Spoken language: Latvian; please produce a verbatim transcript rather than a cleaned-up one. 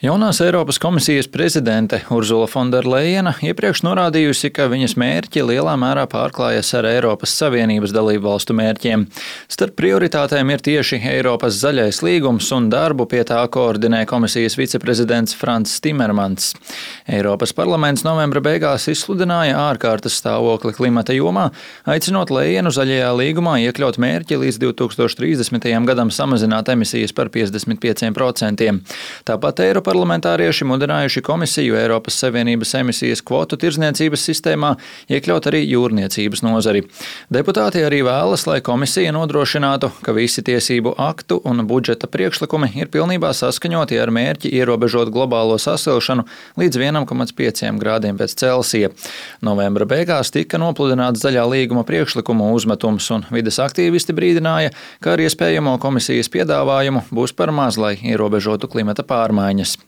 Jaunās Eiropas komisijas prezidente Urzula Fonderlejena iepriekš norādījusi, ka viņas mērķi lielā mērā pārklājas ar Eiropas Savienības dalību valstu mērķiem. Starp prioritātēm ir tieši Eiropas zaļais līgums un darbu pie tā koordinē komisijas viceprezidents Frans Timermans. Eiropas parlaments novembra beigās izsludināja ārkārtas stāvokli klimata jomā, aicinot Lejenu zaļajā līgumā iekļaut mērķi līdz divi tūkstoši trīsdesmitajam gadam samazināt emisijas par piecdesmit pieciem procentiem. Tāpat Eiropa Parlamentārieši mudinājuši komisiju Eiropas Savienības emisijas kvotu tirdzniecības sistēmā iekļaut arī jūrniecības nozari. Deputāti arī vēlas, lai komisija nodrošinātu, ka visi tiesību aktu un budžeta priekšlikumi ir pilnībā saskaņoti ar mērķi ierobežot globālo sasilšanu līdz vienam komats pieciem grādiem pēc Celsija. Novembra beigās tika nopludināts zaļā līguma priekšlikumu uzmetums, un vides aktīvisti brīdināja, ka ar iespējamo komisijas piedāvājumu būs par maz, lai ierobežotu klimata pārmaiņas.